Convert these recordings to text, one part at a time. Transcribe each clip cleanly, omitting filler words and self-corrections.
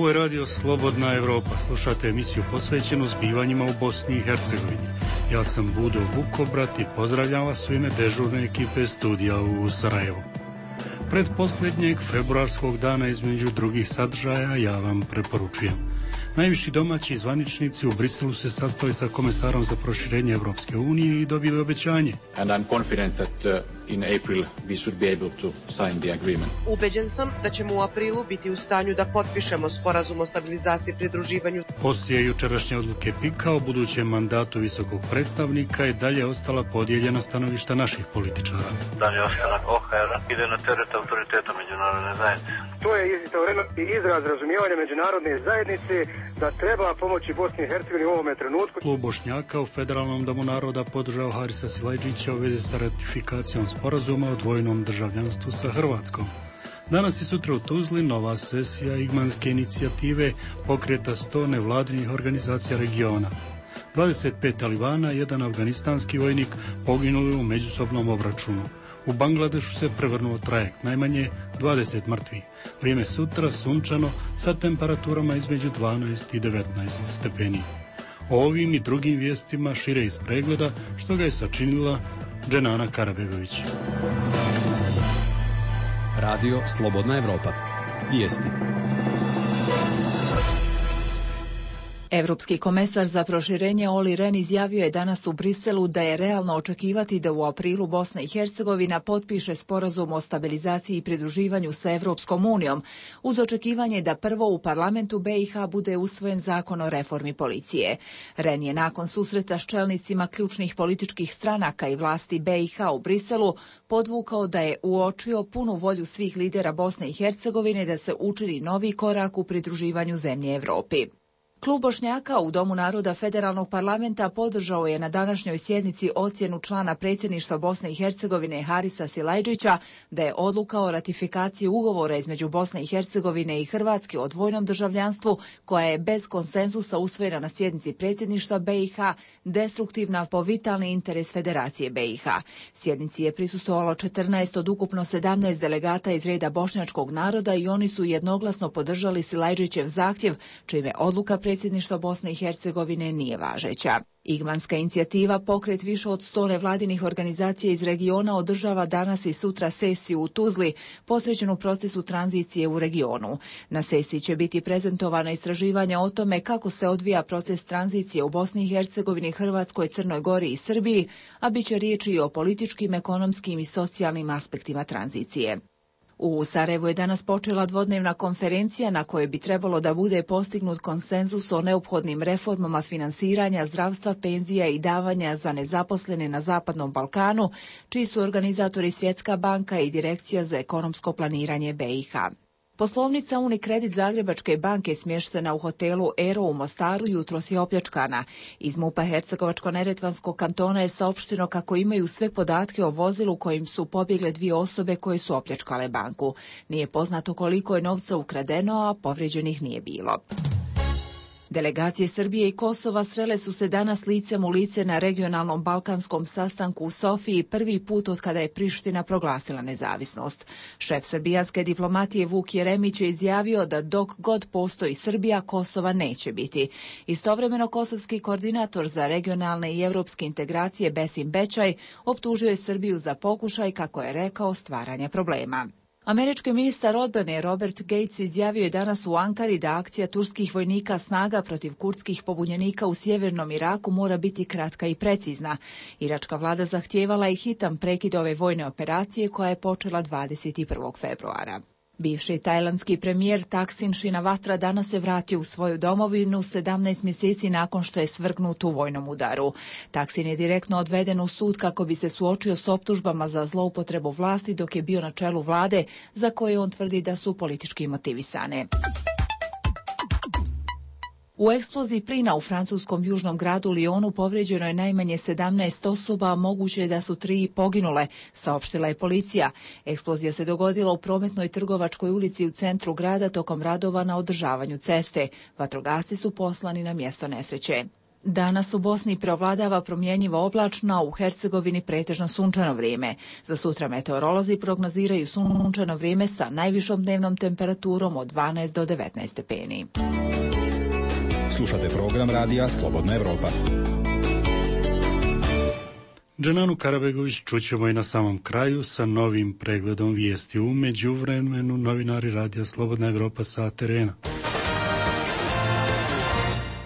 Ovo je radio Slobodna Evropa. Slušate emisiju posvećenu zbivanjima u Bosni i Hercegovini. Ja sam Budo Vukobrat i pozdravljam vas u ime dežurne ekipe studija u Sarajevu. Pred posljednjeg februarskog dana između drugih sadržaja ja vam preporučujem. Najviši domaći zvaničnici u Briselu se sastali sa komesarom za proširenje Evropske unije i dobili obećanje. And I'm confident that in April we should be able to sign the agreement. Ubeđen sam da ćemo u aprilu biti u stanju da potpišemo sporazum o stabilizaciji i pridruživanju. Poslije jučerašnje odluke PIK-a o budućem mandatu visokog predstavnika je dalje ostala podijeljena stanovišta naših političara. Dalje ostanak OHR ide na teret autoriteta međunarodne zajednice. To je izraz razumijevanja međunarodne zajednice da treba pomoći Bosni i Hercegovini u ovome trenutku. Klub Bošnjaka u Federalnom domu naroda podržao Harisa Silajdžića u vezi sa ratifikacijom sporazuma o dvojnom državljanstvu sa Hrvatskom. Danas i sutra u Tuzli nova sesija Igmanske inicijative pokreta 100 nevladinih organizacija regiona. 25 talibana i jedan afganistanski vojnik poginuli u međusobnom obračunu. U Bangladešu se prevrnuo trajekt, najmanje 20 mrtvih. Vrijeme sutra sunčano sa temperaturama između 12 i 19 stepeni. O ovim i drugim vijestima šire iz pregleda što ga je sačinila Dženana Karabegović. Radio Slobodna Evropa. Vijesti. Evropski komesar za proširenje Olli Rehn izjavio je danas u Briselu da je realno očekivati da u aprilu Bosna i Hercegovina potpiše sporazum o stabilizaciji i pridruživanju sa Evropskom unijom, uz očekivanje da prvo u parlamentu BiH bude usvojen zakon o reformi policije. Rehn je nakon susreta s čelnicima ključnih političkih stranaka i vlasti BiH u Briselu podvukao da je uočio punu volju svih lidera Bosne i Hercegovine da se učini novi korak u pridruživanju zemlje Evropi. Klub Bošnjaka u Domu naroda Federalnog parlamenta podržao je na današnjoj sjednici ocjenu člana predsjedništva Bosne i Hercegovine Harisa Silajdžića da je odluka o ratifikaciji ugovora između Bosne i Hercegovine i Hrvatske o dvojnom državljanstvu, koja je bez konsenzusa usvojena na sjednici predsjedništva BiH, destruktivna po vitalni interes Federacije BiH. Sjednici je prisustvovalo 14 od ukupno 17 delegata iz reda bošnjačkog naroda i oni su jednoglasno podržali Silajdžićev zahtjev, čime odluka predsjedništva Bosne i Hercegovine nije važeća. Igmanska inicijativa, pokret više od 100 nevladinih organizacija iz regiona, održava danas i sutra sesiju u Tuzli, posvećenu procesu tranzicije u regionu. Na sesiji će biti prezentovana istraživanja o tome kako se odvija proces tranzicije u Bosni i Hercegovini, Hrvatskoj, Crnoj Gori i Srbiji, a bit će riječi i o političkim, ekonomskim i socijalnim aspektima tranzicije. U Sarajevu je danas počela dvodnevna konferencija na kojoj bi trebalo da bude postignut konsenzus o neophodnim reformama finansiranja, zdravstva, penzija i davanja za nezaposlene na Zapadnom Balkanu, čiji su organizatori Svjetska banka i Direkcija za ekonomsko planiranje BiH. Poslovnica Unikredit Zagrebačke banke smještena u hotelu Ero u Mostaru jutros je opljačkana. Iz MUP-a Hercegovačko-neretvanskog kantona je saopšteno kako imaju sve podatke o vozilu kojim su pobjegle dvije osobe koje su opljačkale banku. Nije poznato koliko je novca ukradeno, a povrijeđenih nije bilo. Delegacije Srbije i Kosova srele su se danas licem u lice na regionalnom balkanskom sastanku u Sofiji prvi put od kada je Priština proglasila nezavisnost. Šef srbijanske diplomatije Vuk Jeremić je izjavio da dok god postoji Srbija, Kosova neće biti. Istovremeno kosovski koordinator za regionalne i evropske integracije Besim Bećaj optužio je Srbiju za pokušaj, kako je rekao, stvaranja problema. Američki ministar odbrane Robert Gates izjavio je danas u Ankari da akcija turskih vojnika snaga protiv kurdskih pobunjenika u sjevernom Iraku mora biti kratka i precizna. Iračka vlada zahtijevala i hitan prekid ove vojne operacije koja je počela 21. februara. Bivši tajlandski premijer Thaksin Shinawatra danas se vratio u svoju domovinu 17 mjeseci nakon što je svrgnut u vojnom udaru. Thaksin je direktno odveden u sud kako bi se suočio s optužbama za zloupotrebu vlasti dok je bio na čelu vlade, za koje on tvrdi da su politički motivisane. U eksploziji plina u francuskom južnom gradu Lyonu povrijeđeno je najmanje 17 osoba, a moguće je da su 3 poginule, saopštila je policija. Eksplozija se dogodila u prometnoj trgovačkoj ulici u centru grada tokom radova na održavanju ceste. Vatrogasci su poslani na mjesto nesreće. Danas u Bosni preovladava promjenjivo oblačno, a u Hercegovini pretežno sunčano vrijeme. Za sutra meteorolozi prognoziraju sunčano vrijeme sa najvišom dnevnom temperaturom od 12 do 19 stepeni. Slušate program radija Slobodna Evropa. Dženanu Karabegović čućemo i na samom kraju sa novim pregledom vijesti. U međuvremenu novinari radija Slobodna Evropa sa terena.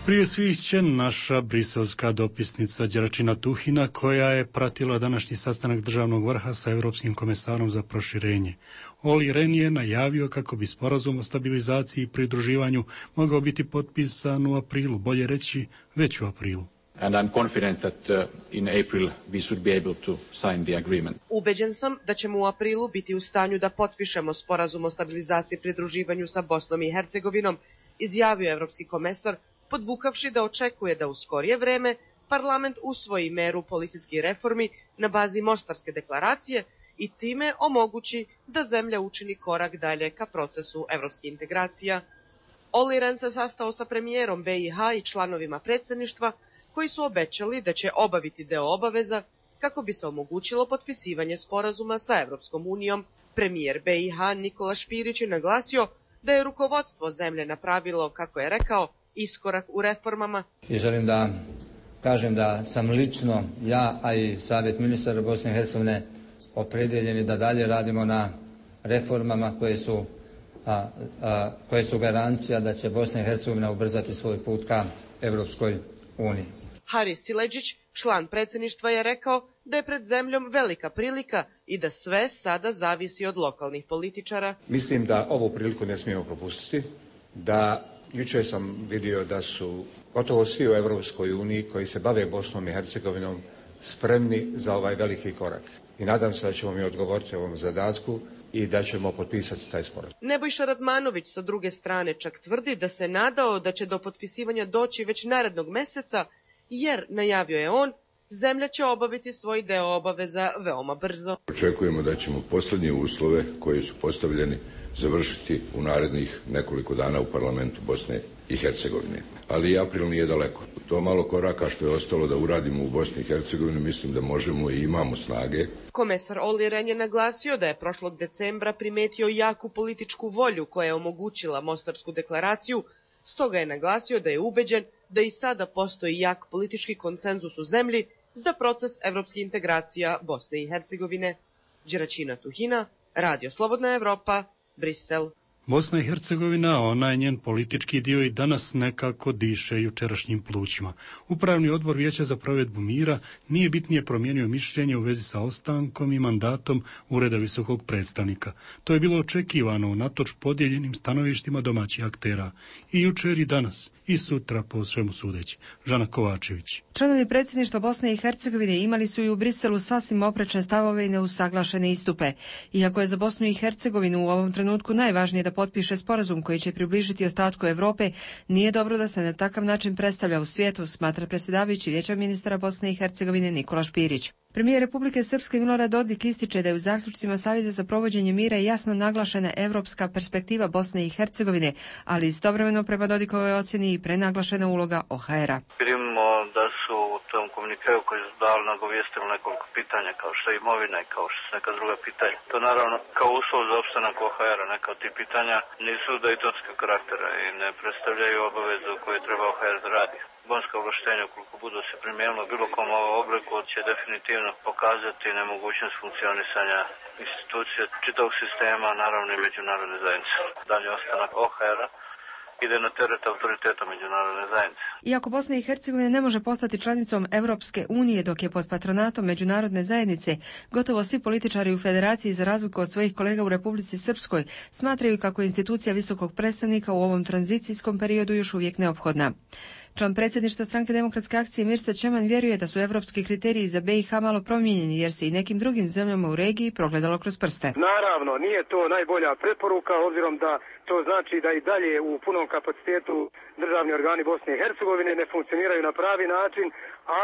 Prije svih će naša briselska dopisnica Đeračina Tuhina, koja je pratila današnji sastanak državnog vrha sa Europskim komesarom za proširenje. Olli Rehn je najavio kako bi sporazum o stabilizaciji i pridruživanju mogao biti potpisan u aprilu, bolje reći već u aprilu. And I'm confident that in April we should be able to sign the agreement. Ubeđen sam da ćemo u aprilu biti u stanju da potpišemo sporazum o stabilizaciji i pridruživanju sa Bosnom i Hercegovinom, izjavio evropski komesar, podvukavši da očekuje da u skorije vreme parlament usvoji meru policijskih reformi na bazi Mostarske deklaracije i time omogući da zemlja učini korak dalje ka procesu evropskih integracija. Olli Rehn se sastao sa premijerom BiH i članovima predsjedništva, koji su obećali da će obaviti deo obaveza kako bi se omogućilo potpisivanje sporazuma sa Evropskom unijom. Premijer BiH Nikola Špirić je naglasio da je rukovodstvo zemlje napravilo, kako je rekao, iskorak u reformama. I želim da kažem da sam lično, ja, a i Savjet ministara Bosne i Hercegovine opredjeljeni da dalje radimo na reformama koje su garancija da će Bosna i Hercegovina ubrzati svoj put ka Evropskoj uniji. Haris Siledžić, član predsjedništva, je rekao da je pred zemljom velika prilika i da sve sada zavisi od lokalnih političara. Mislim da ovu priliku ne smijemo propustiti, da jučer sam vidio da su gotovo svi u Europskoj uniji koji se bave Bosnom i Hercegovinom spremni za ovaj veliki korak. I nadam se da ćemo mi odgovoriti ovom zadatku i da ćemo potpisati taj sporazum. Nebojša Radmanović sa druge strane čak tvrdi da se nadao da će do potpisivanja doći već narednog mjeseca, jer, najavio je on, zemlja će obaviti svoj deo obaveza veoma brzo. Očekujemo da ćemo posljednje uslove koji su postavljeni završiti u narednih nekoliko dana u parlamentu Bosne i Hercegovine. Ali i april nije daleko. To malo koraka što je ostalo da uradimo u Bosni i Hercegovini, mislim da možemo i imamo snage. Komesar Olli Rehn je naglasio da je prošlog decembra primetio jaku političku volju koja je omogućila Mostarsku deklaraciju, stoga je naglasio da je ubeđen da i sada postoji jak politički konsenzus u zemlji za proces evropskih integracija Bosne i Hercegovine. Đeračina Tuhina, Radio Slobodna Evropa, Brisel. Bosna i Hercegovina, onaj njen politički dio, i danas nekako diše jučerašnjim plućima. Upravni odbor Vijeća za provedbu mira nije bitnije promijenio mišljenje u vezi sa ostankom i mandatom Ureda visokog predstavnika. To je bilo očekivano unatoč podijeljenim stanovištima domaćih aktera. I jučer i danas, i sutra po svemu sudeći. Žana Kovačević. Članovi predsjedništva Bosne i Hercegovine imali su i u Briselu sasvim oprečne stavove i neusaglašene istupe. Iako je za Bosnu i Hercegovinu u ovom trenutku najvažnije da potpiše sporazum koji će približiti ostatku Evrope, nije dobro da se na takav način predstavlja u svijetu, smatra predsjedavajući Vijeća ministara Bosne i Hercegovine Nikola Špirić. Premijer Republike Srpske Milorad Dodik ističe da je u zaključcima Savjeta za provođenje mira jasno naglašena evropska perspektiva Bosne i Hercegovine, ali istovremeno prema Dodikovoj ocjeni i prenaglašena uloga OHR-a. Vidimo da su u tom komunikeu koji su dali nagovijestili nekoliko pitanja, kao što je imovina i kao što su neka druga pitanja. To naravno kao uslov za opstanak OHR-a, neka od tih pitanja nisu dejtonskog karaktera i ne predstavljaju obavezu koju treba OHR da radi. Bonska ovlaštenja, ukoliko budu se primijenilo bilo kom obliku, će definitivno pokazati nemogućnost funkcionisanja institucije čitavog sistema, naravno i međunarodne zajednice. Dalje ostanak OHR-a ide na teret autoriteta međunarodne zajednice. Iako Bosna i Hercegovina ne može postati članicom Evropske unije dok je pod patronatom međunarodne zajednice, gotovo svi političari u federaciji, za razliku od svojih kolega u Republici Srpskoj, smatraju kako je institucija visokog predstavnika u ovom tranzicijskom periodu još uvijek neophodna. Član predsjedništva Stranke demokratske akcije Mirsa Čeman vjeruje da su evropski kriteriji za BiH malo promijenjeni, jer se i nekim drugim zemljama u regiji progledalo kroz prste. Naravno, nije to najbolja preporuka, obzirom da To znači da i dalje u punom kapacitetu državni organi Bosne i Hercegovine ne funkcioniraju na pravi način,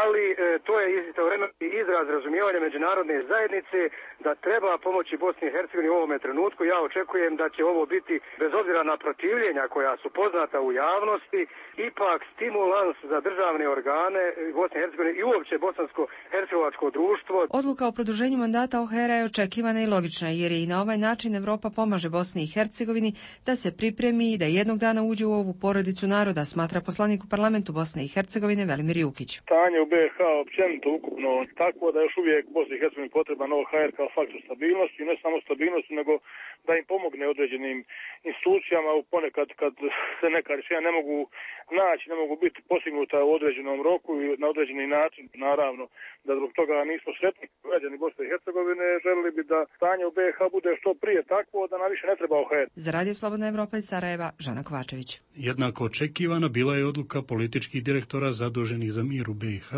ali to je istovremeno izraz razumijevanja međunarodne zajednice da treba pomoći Bosni i Hercegovini u ovome trenutku. Ja očekujem da će ovo biti, bez obzira na protivljenja koja su poznata u javnosti, ipak stimulans za državne organe Bosne i Hercegovine i uopće bosansko-hercegovačko društvo. Odluka o produženju mandata OHR-a je očekivana i logična, jer je i na ovaj način Evropa pomaže Bosni i Hercegovini da se pripremi i da jednog dana uđe u ovu porodicu naroda, smatra poslanik u parlamentu Bosne i Hercegovine Velimir Jukić. Stanje u BiH općenito ukupno tako da još uvijek Bosni i Hercegovini potreban OHR kao faktor stabilnosti, ne samo stabilnosti, nego da im pomogne određenim institucijama ponekad kad se neka rješenja ne mogu naći, ne mogu biti postignuta u određenom roku i na određeni način. Naravno da zbog toga nismo sretni. Građani Bosne i Hercegovine želili bi da stanje u BiH bude što prije takvo da nam više ne treba OHR. Za Radio Slobodna Evropa iz Sarajeva, Žana Kovačević. Jednako očekivana bila je odluka političkih direktora zaduženih za mir u BiH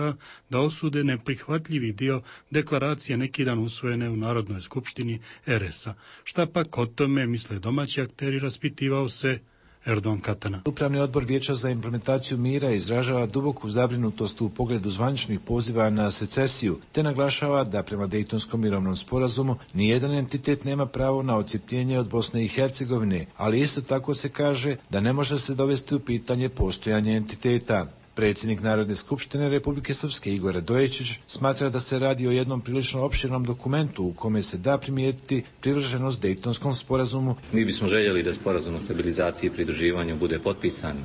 da osude neprihvatljivi dio deklaracije neki dan usvojene u Narodnoj skupštini RS-a. Šta pak o tome misle domaći akteri, raspitivao se Erdogan Katana. Upravni odbor Vijeća za implementaciju mira izražava duboku zabrinutost u pogledu zvaničnih poziva na secesiju, te naglašava da prema Dejtonskom mirovnom sporazumu nijedan entitet nema pravo na odcijepljenje od Bosne i Hercegovine, ali isto tako se kaže da ne može se dovesti u pitanje postojanje entiteta. Predsjednik Narodne skupštine Republike Srpske Igor Radojičić smatra da se radi o jednom prilično opširnom dokumentu u kome se da primijetiti privrženost Dejtonskom sporazumu. Mi bismo željeli da sporazum o stabilizaciji i pridruživanju bude potpisan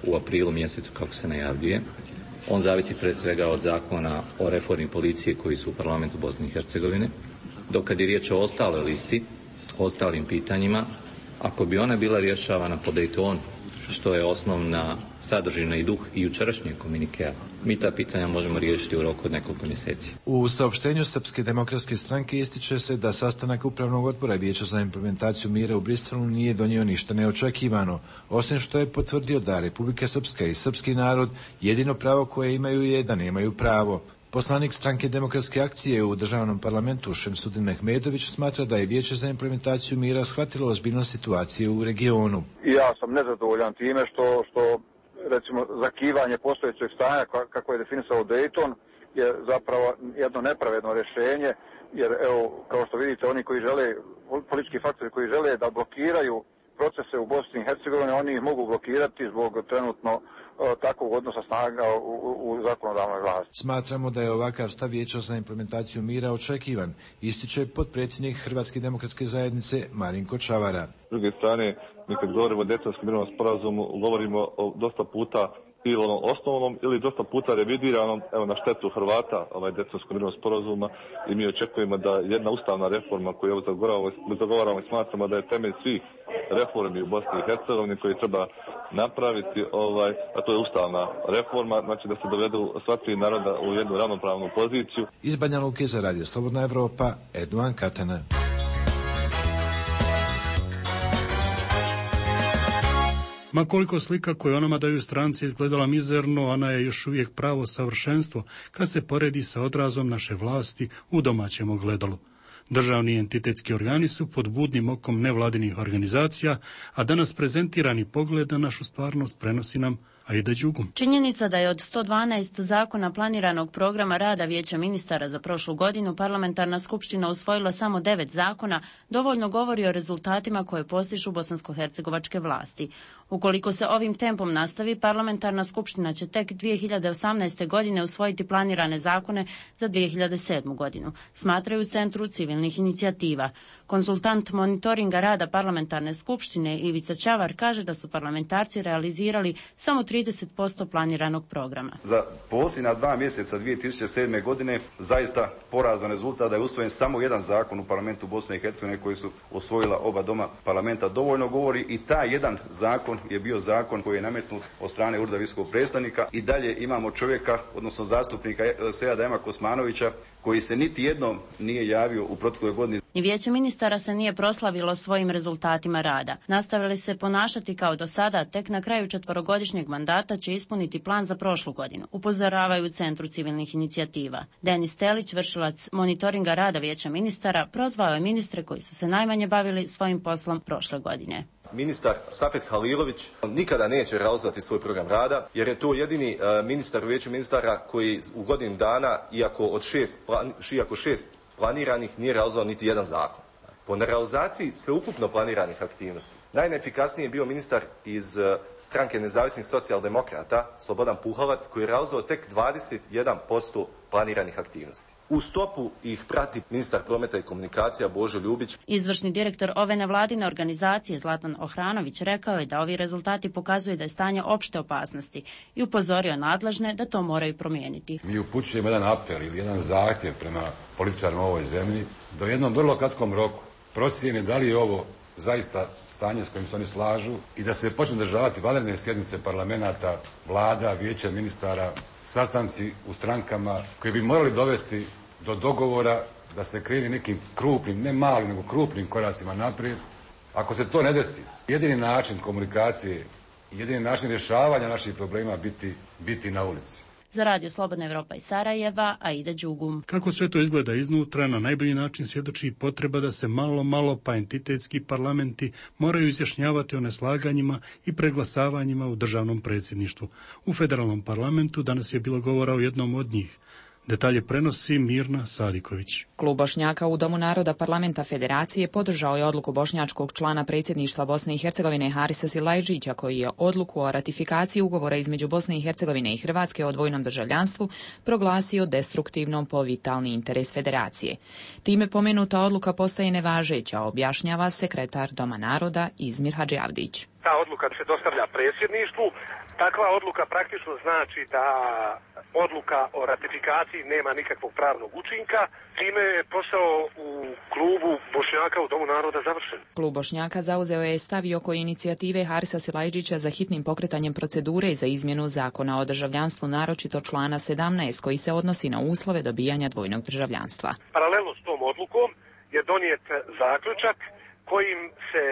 u aprilu mjesecu kako se najavljuje. On zavisi pred svega od zakona o reformi policije koji su u parlamentu Bosne i Hercegovine. Dok kad je riječ o ostaloj listi, o ostalim pitanjima, ako bi ona bila rješavana po Dejtonu, što je osnovna sadržina i duh i jučerašnjeg komunikea, mi ta pitanja možemo riješiti u roku od nekoliko mjeseci. U saopštenju Srpske demokratske stranke ističe se da sastanak Upravnog odbora Vijeća za implementaciju mira u Briselu nije donio ništa neočekivano, osim što je potvrdio da Republika Srpska i srpski narod jedino pravo koje imaju je da nemaju pravo. Poslanik stranke Demokratske akcije u državnom parlamentu Šemsudin Mehmedović smatra da je Vijeće za implementaciju mira shvatilo ozbiljnost situacije u regionu. Ja sam nezadovoljan time što recimo zakivanje postojećeg stanja kako je definisao Dayton je zapravo jedno nepravedno rješenje, jer evo kao što vidite oni koji žele, politički faktori koji žele da blokiraju procese u Bosni i Hercegovini, oni ih mogu blokirati zbog trenutno takvog odnosa snaga u zakonodavnoj vlasti. Smatramo da je ovakav stav Vijeća za implementaciju mira očekivan, ističe potpredsjednik Hrvatske demokratske zajednice Marinko Čavara. S druge strane, mi kad govorimo o Dejtonskom mirovnom sporazumu, govorimo o dosta puta ili osnovnom ili dosta puta revidiranom, evo na štetu Hrvata, Dejtonskog mirovnog sporazuma, i mi očekujemo da jedna ustavna reforma koju zagovaramo i smatramo da je temelj svih reformi u Bosni i Hercegovini koji treba napraviti, a to je ustavna reforma, znači da se dovedu sva tri naroda u jednu ravnopravnu poziciju. Iz Banja Luke za Radio Slobodna Evropa, Erdogan Katana. Ma koliko slika koju onama daju stranci izgledala mizerno, ona je još uvijek pravo savršenstvo kad se poredi sa odrazom naše vlasti u domaćem ogledalu. Državni entitetski organi su pod budnim okom nevladinih organizacija, a danas prezentirani pogled na našu stvarnost prenosi nam Aida Đugum. Činjenica da je od 112 zakona planiranog programa rada Vijeća ministara za prošlu godinu parlamentarna skupština usvojila samo 9 zakona, dovoljno govori o rezultatima koje postižu bosansko-hercegovačke vlasti. Ukoliko se ovim tempom nastavi, parlamentarna skupština će tek 2018. godine usvojiti planirane zakone za 2007. godinu, smatraju u Centru civilnih inicijativa. Konsultant monitoringa rada parlamentarne skupštine Ivica Čavar kaže da su parlamentarci realizirali samo 30% planiranog programa. Za posljednja 2 mjeseca 2007. godine zaista porazan rezultat da je usvojen samo jedan zakon u parlamentu Bosne i Hercegovine koji su osvojila oba doma parlamenta. Dovoljno govori i taj jedan zakon je bio zakon koji je nametnut od strane Ureda visokog predstavnika. I dalje imamo čovjeka, odnosno zastupnika Seada Ema Kosmanovića, koji se niti jednom nije javio u protekloj godini. Ni Vijeće ministara se nije proslavilo svojim rezultatima rada. Nastavili se ponašati kao do sada, tek na kraju 4-godišnjeg mandata će ispuniti plan za prošlu godinu, upozoravaju u Centru civilnih inicijativa. Denis Telić, vršilac monitoringa rada Vijeća ministara, prozvao je ministre koji su se najmanje bavili svojim poslom prošle godine. Ministar Safet Halilović nikada neće realizovati svoj program rada, jer je to jedini ministar u vijeću ministara koji u godinu dana, iako šest planiranih, nije realizovao niti jedan zakon. Po nerealizaciji sveukupno planiranih aktivnosti, najneefikasniji je bio ministar iz stranke nezavisnih socijaldemokrata, Slobodan Puhalac, koji je realizovao tek 21% planiranih aktivnosti. U stopu ih prati ministar prometa i komunikacija Božo Ljubić. Izvršni direktor ove nevladine organizacije Zlatan Ohranović rekao je da ovi rezultati pokazuju da je stanje opšte opasnosti i upozorio nadležne da to moraju promijeniti. Mi upućujemo jedan apel ili jedan zahtjev prema političarima u ovoj zemlji da u jednom vrlo kratkom roku procijene da li je ovo zaista stanje s kojim se oni slažu i da se počne održavati vanredne sjednice parlamenta, vlada, vijeća ministara, sastanci u strankama koji bi morali dovesti do dogovora da se krene nekim krupnim, ne malim, nego krupnim koracima naprijed. Ako se to ne desi, jedini način komunikacije, jedini način rješavanja naših problema biti na ulici. Za Radio Slobodna Evropa iz Sarajeva, Aida Đugum. Kako sve to izgleda iznutra, na najbolji način svjedoči i potreba da se malo pa entitetski parlamenti moraju izjašnjavati o neslaganjima i preglasavanjima u državnom predsjedništvu. U federalnom parlamentu danas je bilo govora o jednom od njih. Detalje prenosi Mirna Sadiković. Klub Bošnjaka u Domu naroda Parlamenta Federacije podržao je odluku bošnjačkog člana predsjedništva Bosne i Hercegovine Harisa Silajdžića, koji je odluku o ratifikaciji ugovora između Bosne i Hercegovine i Hrvatske o dvojnom državljanstvu proglasio destruktivnom po vitalni interes Federacije. Time pomenuta odluka postaje nevažeća, objašnjava sekretar Doma naroda Izmir Hadžiavdić. Ta odluka se dostavlja predsjedništvu. Takva odluka praktično znači da odluka o ratifikaciji nema nikakvog pravnog učinka. Time je posao u klubu Bošnjaka u Domu naroda završen. Klub Bošnjaka zauzeo je stav i oko inicijative Harisa Silajdžića za hitnim pokretanjem procedure za izmjenu zakona o državljanstvu, naročito člana 17 koji se odnosi na uslove dobijanja dvojnog državljanstva. Paralelno s tom odlukom je donijet zaključak kojim se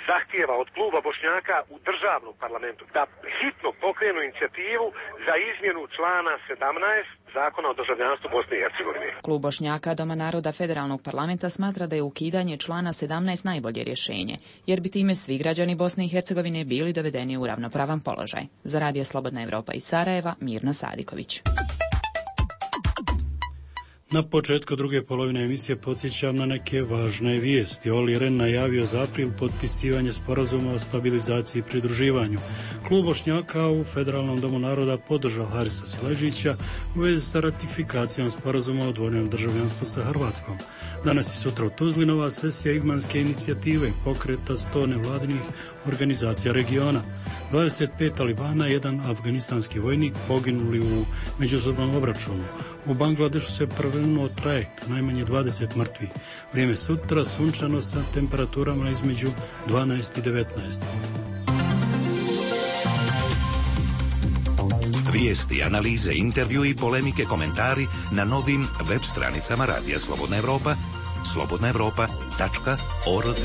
zahtijeva od kluba Bošnjaka u državnom parlamentu da hitno pokrenu inicijativu za izmjenu člana 17 Zakona o državljanstvu Bosne i Hercegovine. Klub Bošnjaka Doma naroda federalnog parlamenta smatra da je ukidanje člana 17 najbolje rješenje, jer bi time svi građani Bosne i Hercegovine bili dovedeni u ravnopravan položaj. Za Radio Slobodna Evropa iz Sarajeva, Mirna Sadiković. Na početku druge polovine emisije podsjećam na neke važne vijesti. Olli Rehn najavio za april potpisivanje sporazuma o stabilizaciji i pridruživanju. Klub Bošnjaka u Federalnom domu naroda podržao Harisa Silajdžića u vezi sa ratifikacijom sporazuma o dvojnom državljanstvu sa Hrvatskom. Danas i sutra u Tuzli nova sesija Igmanske inicijative pokreta 100 nevladinih organizacija regiona. 25 talibana i jedan afganistanski vojnik poginuli u međusobnom obračunu. U Bangladešu se prevrnuo trajekt, najmanje 20 mrtvih. Vrijeme sutra sunčano sa temperaturama između 12 i 19. Vijesti, analize, intervju i polemike, komentari na novim web stranicama Radija Slobodna Evropa, slobodnaevropa.org.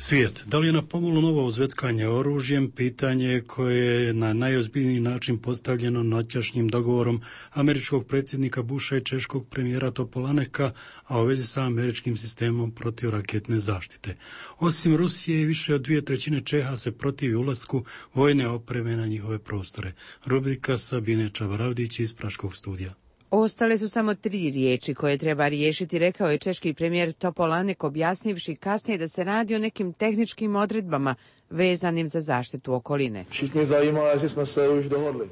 Svijet. Da li je na pomolu novo uzveckanje oružjem? Pitanje koje je na najozbiljniji način postavljeno noćašnjim dogovorom američkog predsjednika Busha i češkog premijera Topolaneka, a u vezi sa američkim sistemom protivraketne zaštite. Osim Rusije, više od 2/3 Čeha se protivi ulasku vojne opreme na njihove prostore. Rubrika Sabine Čavaravdić iz Praškog studija. Ostale su samo 3 riječi koje treba riješiti, rekao je češki premijer Topolanek, objasnivši kasnije da se radi o nekim tehničkim odredbama vezanim za zaštitu okoline.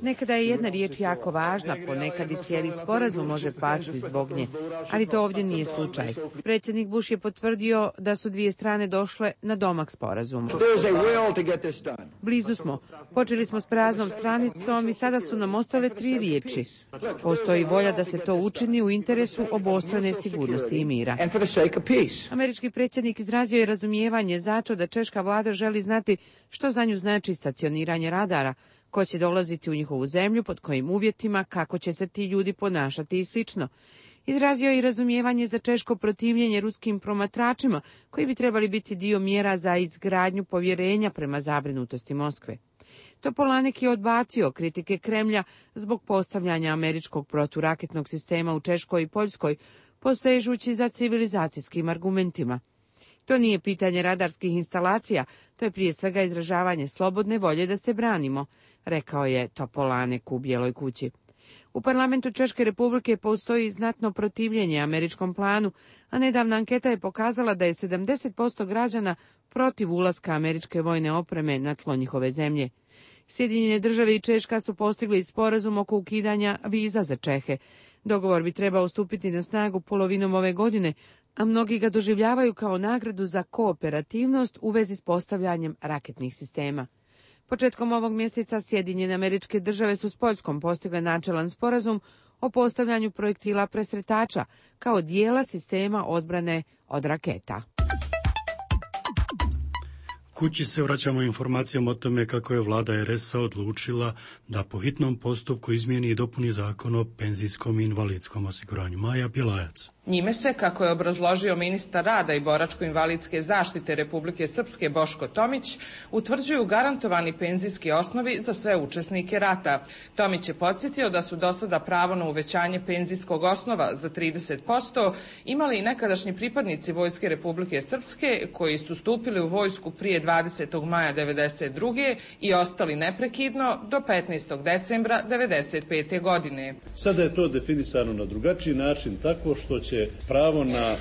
Nekada je jedna riječ jako važna, ponekad i cijeli sporazum može pasti zbog nje, ali to ovdje nije slučaj. Predsjednik Bush je potvrdio da su dvije strane došle na domak sporazumu. Blizu smo. Počeli smo s praznom stranicom i sada su nam ostale 3 riječi. Postoji volja da se to učini u interesu obostrane sigurnosti i mira. Američki predsjednik izrazio je razumijevanje zato da češka vlada želi znati što za nju znači stacioniranje radara, ko će dolaziti u njihovu zemlju, pod kojim uvjetima, kako će se ti ljudi ponašati i slično. Izrazio je i razumijevanje za češko protivljenje ruskim promatračima, koji bi trebali biti dio mjera za izgradnju povjerenja prema zabrinutosti Moskve. Topolanek je odbacio kritike Kremlja zbog postavljanja američkog proturaketnog sistema u Češkoj i Poljskoj, posežući za civilizacijskim argumentima. To nije pitanje radarskih instalacija, to je prije svega izražavanje slobodne volje da se branimo, rekao je Topolanek u Bijeloj kući. U parlamentu Češke republike postoji znatno protivljenje američkom planu, a nedavna anketa je pokazala da je 70% građana protiv ulaska američke vojne opreme na tlo njihove zemlje. Sjedinjene države i Češka su postigli sporazum oko ukidanja viza za Čehe. Dogovor bi trebao stupiti na snagu polovinom ove godine, a mnogi ga doživljavaju kao nagradu za kooperativnost u vezi s postavljanjem raketnih sistema. Početkom ovog mjeseca Sjedinjene Američke Države su s Poljskom postigle načelan sporazum o postavljanju projektila presretača kao dijela sistema odbrane od raketa. Kući se vraćamo informacijom o tome kako je vlada RS-a odlučila da po hitnom postupku izmijeni i dopuni zakon o penzijskom i invalidskom osiguranju. Maja Bjelajac. Njime se, kako je obrazložio ministar rada i boračko-invalidske zaštite Republike Srpske Boško Tomić, utvrđuju garantovani penzijski osnovi za sve učesnike rata. Tomić je podsjetio da su do sada pravo na uvećanje penzijskog osnova za 30% imali i nekadašnji pripadnici Vojske Republike Srpske koji su stupili u vojsku prije 20. maja 1992. i ostali neprekidno do 15. decembra 1995. godine. Sada je to definisano na drugačiji način tako što će pravo na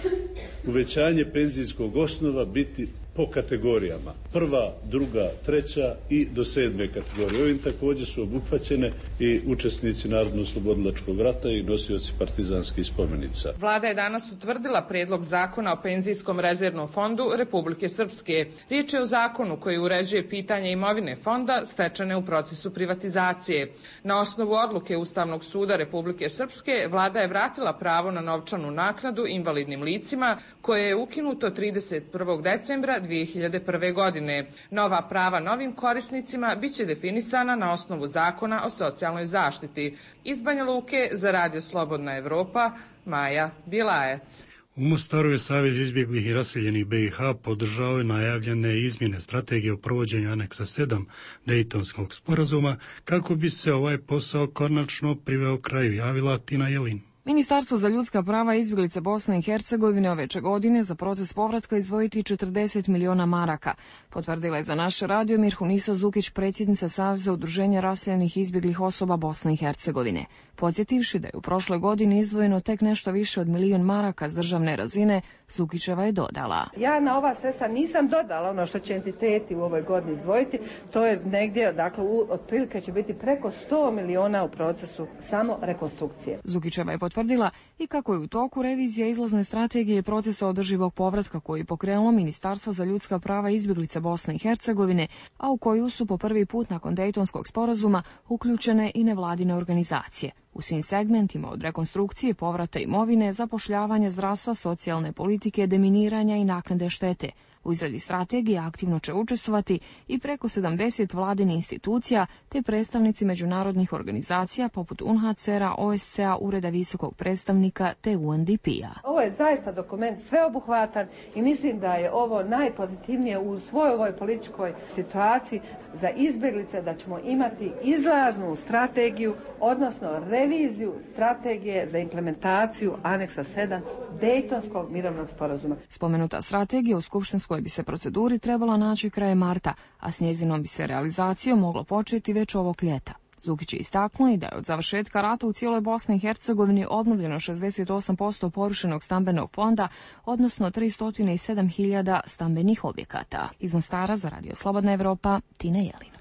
uvećanje penzijskog osnova biti po kategorijama. Prva, druga, treća i do 7. kategorije. Ovim također su obuhvaćene i učesnici Narodno-oslobodilačkog rata i nosioci partizanskih spomenica. Vlada je danas utvrdila predlog zakona o penzijskom rezervnom fondu Republike Srpske. Riječ je o zakonu koji uređuje pitanje imovine fonda stečene u procesu privatizacije. Na osnovu odluke Ustavnog suda Republike Srpske, vlada je vratila pravo na novčanu naknadu invalidnim licima koje je ukinuto 31. decembra 2001. godine. Nova prava novim korisnicima biće definisana na osnovu zakona o socijalnoj zaštiti. Iz Banja Luke za Radio Slobodna Evropa, Maja Bjelajac. U Mostaru je Savez izbjeglih i raseljenih BiH podržao najavljene izmjene strategije o provođenju aneksa 7 Dejtonskog sporazuma kako bi se ovaj posao konačno priveo kraju, javila Tina Jelin. Ministarstvo za ljudska prava i izbjeglice Bosne i Hercegovine ove će godine za proces povratka izdvojiti 40 miliona maraka. Potvrdila je za naš radio Mirhunisa Zukić, predsjednica Saveza udruženja raseljenih i izbjeglih osoba Bosne i Hercegovine. Podsjetivši da je u prošloj godini izdvojeno tek nešto više od 1 milion maraka s državne razine, Zukićeva je dodala. Ja na ova sredstva nisam dodala ono što će entiteti u ovoj godini izdvojiti, to je negdje, dakle, otprilike će biti preko 100 miliona u procesu samo rekonstrukcije. Zukićeva je potvrdila i kako je u toku revizija izlazne strategije procesa održivog povratka koji je pokrenulo Ministarstvo za ljudska prava i izbjeglice Bosne i Hercegovine, a u koju su po prvi put nakon Dejtonskog sporazuma uključene i nevladine organizacije. U svim segmentima od rekonstrukcije, povrata imovine, zapošljavanja, zdravstva, socijalne politike, deminiranja i naknade štete. U izradi strategije aktivno će učestvovati i preko 70 vladinih institucija te predstavnici međunarodnih organizacija poput UNHCR-a, OSCE-a, Ureda visokog predstavnika te UNDP-a. Ovo je zaista dokument sveobuhvatan i mislim da je ovo najpozitivnije u svojoj ovoj političkoj situaciji za izbjeglice, da ćemo imati izlaznu strategiju, odnosno reviziju strategije za implementaciju aneksa 7 Dejtonskog mirovnog sporazuma. Spomenuta strategija u skupštinskoj bi se proceduri trebala naći krajem marta, a s njezinom bi se realizacijom moglo početi već ovog ljeta. Zukić je istaknuo i da je od završetka rata u cijeloj Bosni i Hercegovini obnovljeno 68% porušenog stambenog fonda, odnosno 307.000 stambenih objekata. Iz Mostara za Radio Slobodna Evropa, Tina Jelin.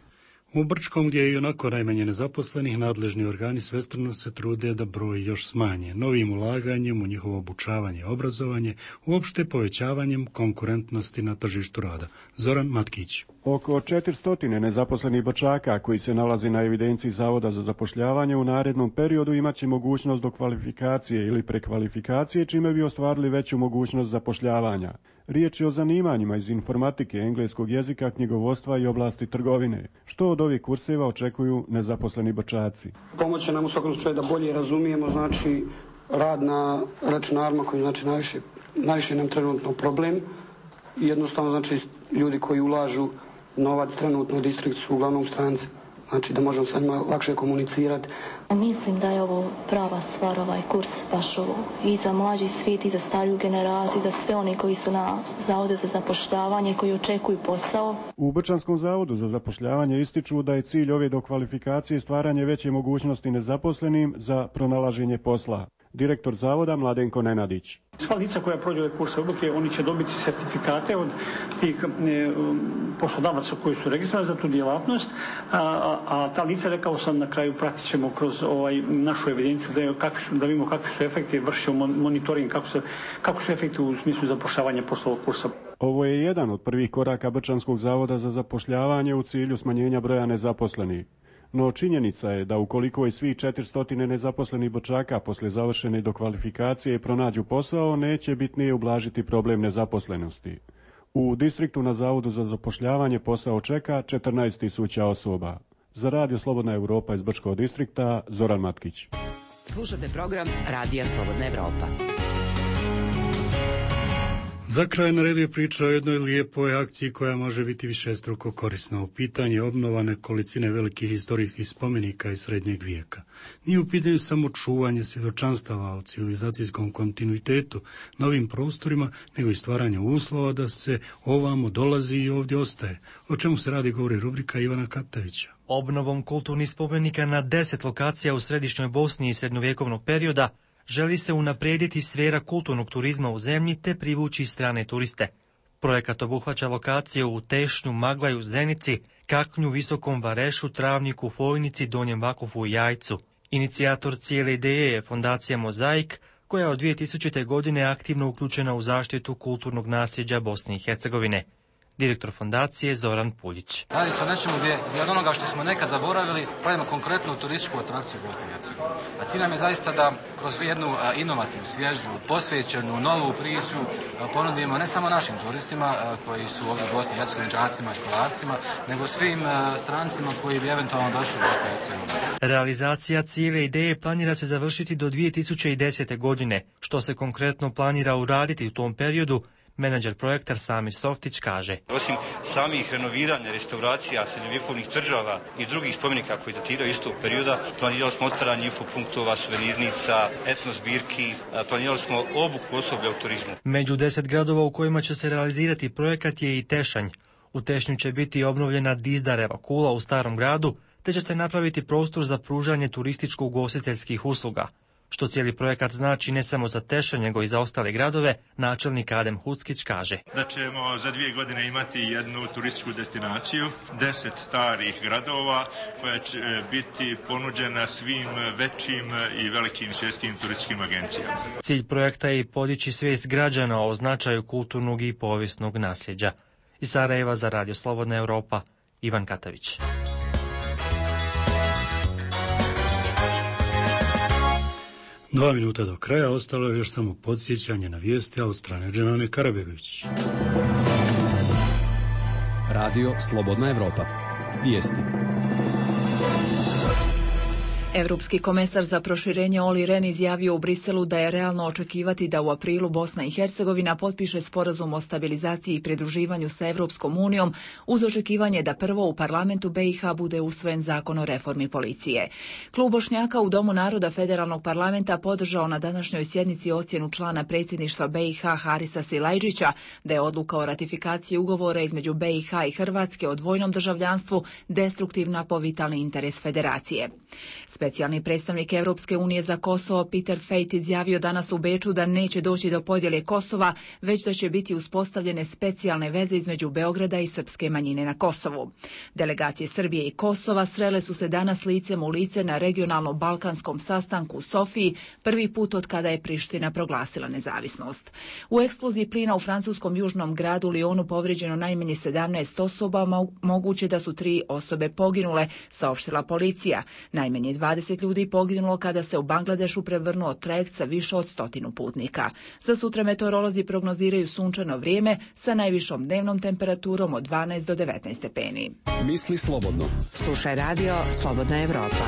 U Brčkom, gdje je i onako najmanje nezaposlenih, nadležni organi svestrano se trude da broj još smanje. Novim ulaganjem u njihovo obučavanje i obrazovanje, uopšte povećavanjem konkurentnosti na tržištu rada. Zoran Matkić. Oko 400 nezaposlenih Brčaka koji se nalazi na evidenciji Zavoda za zapošljavanje u narednom periodu imaće mogućnost do kvalifikacije ili prekvalifikacije, čime bi ostvarili veću mogućnost zapošljavanja. Riječ je o zanimanjima iz informatike, engleskog jezika, knjigovodstva i oblasti trgovine. Što od ovih kurseva očekuju nezaposleni Brčaci? Pomoće nam u svakom slučaju da bolje razumijemo, znači, rad na računarima koji znači najviše nam trenutno problem. I jednostavno, znači, ljudi koji ulažu novac trenutno u distriktu su uglavnom stranci. znači da možemo sa njima lakše komunicirati. Mislim da je ovo prava stvar, ovaj kurs baš ovo i za mlađi svijet i za stariju generaciju, za sve oni koji su na zavodu za zapošljavanje, koji očekuju posao. U Brčanskom zavodu za zapošljavanje ističu da je cilj ove dokvalifikacije stvaranje veće mogućnosti nezaposlenim za pronalaženje posla. Direktor zavoda Mladenko Nenadić. Sva lica koja prođe ove kurse obuke, oni će dobiti sertifikate od tih poslodavaca koji su registrovani za tu djelatnost, a ta lica, rekao sam, na kraju pratit ćemo kroz našu evidenciju da vidimo kakvi su efekti, vršimo monitoring kako su efekti u smislu zapošljavanja posle ovog kursa. Ovo je jedan od prvih koraka Brčanskog zavoda za zapošljavanje u cilju smanjenja broja nezaposlenih. No činjenica je da ukoliko i svih 400 nezaposlenih Brčaka posle završene dokvalifikacije pronađu posao, neće bitnije ublažiti problem nezaposlenosti. U distriktu na Zavodu za zapošljavanje posao čeka 14.000 osoba. Za Radio Slobodna Evropa iz Brčkog distrikta, Zoran Matkić. Slušate program Radija Slobodna Evropa. Za kraj na redu je priča o jednoj lijepoj akciji koja može biti višestruko korisna. U pitanju obnova nekolicine velikih historijskih spomenika iz srednjeg vijeka. Nije u pitanju samo čuvanje svjedočanstava o civilizacijskom kontinuitetu na ovim prostorima, nego i stvaranje uslova da se ovamo dolazi i ovdje ostaje. O čemu se radi govori rubrika Ivana Kaptavića. Obnovom kulturnih spomenika na 10 lokacija u središnjoj Bosni iz srednjovjekovnog perioda želi se unaprijediti sfera kulturnog turizma u zemlji te privući strane turiste. Projekat obuhvaća lokacije u Tešnju, Maglaju, Zenici, Kaknju, Visokom Varešu, Travniku, Fojnici, Donjem Vakufu i Jajcu. Inicijator cijele ideje je fondacija Mozaik, koja je od 2000. godine aktivno uključena u zaštitu kulturnog nasljeđa Bosne i Hercegovine. Direktor fondacije Zoran Puljić. Radi se o nečemu gdje od onoga što smo nekad zaboravili pravimo konkretnu turističku atrakciju Bosne i Hercegovine. A cilj nam je zaista da kroz jednu inovativnu, svježu, posvećenu, novu priču ponudimo ne samo našim turistima koji su ovdje u Bosni i Hercegovini, đacima i školarcima, nego svim strancima koji bi eventualno došli u Bosnu i Hercegovinu. Realizacija cijele ideje planira se završiti do 2010. godine. Što se konkretno planira uraditi u tom periodu, menadžer projekta Samir Softić kaže. Osim samih renoviranja, restauracija srednjovjekovnih tvrđava i drugih spomenika koji datiraju istog perioda, planirali smo otvaranje infopunktova, suvenirnica, etnozbirki, planirali smo obuku osoblja u turizmu. Među 10 gradova u kojima će se realizirati projekat je i Tešanj. U Tešnju će biti obnovljena Dizdareva kula u starom gradu, te će se napraviti prostor za pružanje turističko-ugostiteljskih usluga. Što cijeli projekat znači ne samo za Tešanj, nego i za ostale gradove, načelnik Adem Huckić kaže. Da ćemo za 2 godine imati jednu turističku destinaciju, 10 starih gradova koja će biti ponuđena svim većim i velikim svjetskim turističkim agencijama. Cilj projekta je podići svijest građana o značaju kulturnog i povijesnog nasljeđa. Iz Sarajeva za Radio Slobodna Evropa, Ivan Katavić. 2 minuta do kraja, ostalo je još samo podsjećanje na vijesti, a od strane Dženane Karabegović. Radio Slobodna Evropa. Vijesti. Evropski komesar za proširenje Olli Rehn izjavio u Briselu da je realno očekivati da u aprilu Bosna i Hercegovina potpiše sporazum o stabilizaciji i pridruživanju sa Evropskom unijom uz očekivanje da prvo u parlamentu BiH bude usvojen zakon o reformi policije. Klub Bošnjaka u Domu naroda Federalnog parlamenta podržao na današnjoj sjednici ocjenu člana predsjedništva BiH Harisa Silajdžića da je odluka o ratifikaciji ugovora između BiH i Hrvatske o dvojnom državljanstvu destruktivna po vitalni interes federacije. Specijalni predstavnik Europske unije za Kosovo Peter Fejt izjavio danas u Beču da neće doći do podjele Kosova, već da će biti uspostavljene specijalne veze između Beograda i srpske manjine na Kosovu. Delegacije Srbije i Kosova srele su se danas licem u lice na regionalno-balkanskom sastanku u Sofiji, prvi put od kada je Priština proglasila nezavisnost. U eksploziji plina u francuskom južnom gradu Lyonu povrijeđeno najmanje 17 osoba, moguće da su 3 osobe poginule, saopštila policija. Najmanje 20 ljudi poginulo kada se u Bangladešu prevrnuo trajekt sa više od 100 putnika. Za sutra meteorolozi prognoziraju sunčano vrijeme sa najvišom dnevnom temperaturom od 12 do 19 stepeni. Misli slobodno. Slušaj Radio Slobodna Evropa.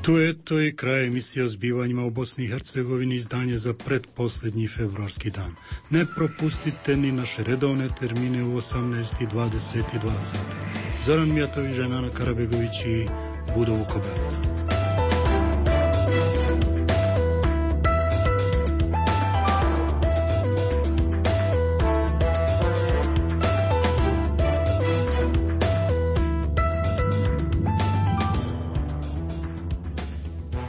Tu je to i kraj emisije o zbivanjima u Bosni i Hercegovini, izdanje za pretposljednji februarski dan. Ne propustite ni naše redovne termine u 18:22 sata. Zoran Mijatović, Žena Karabegović i Budo Vukoberat.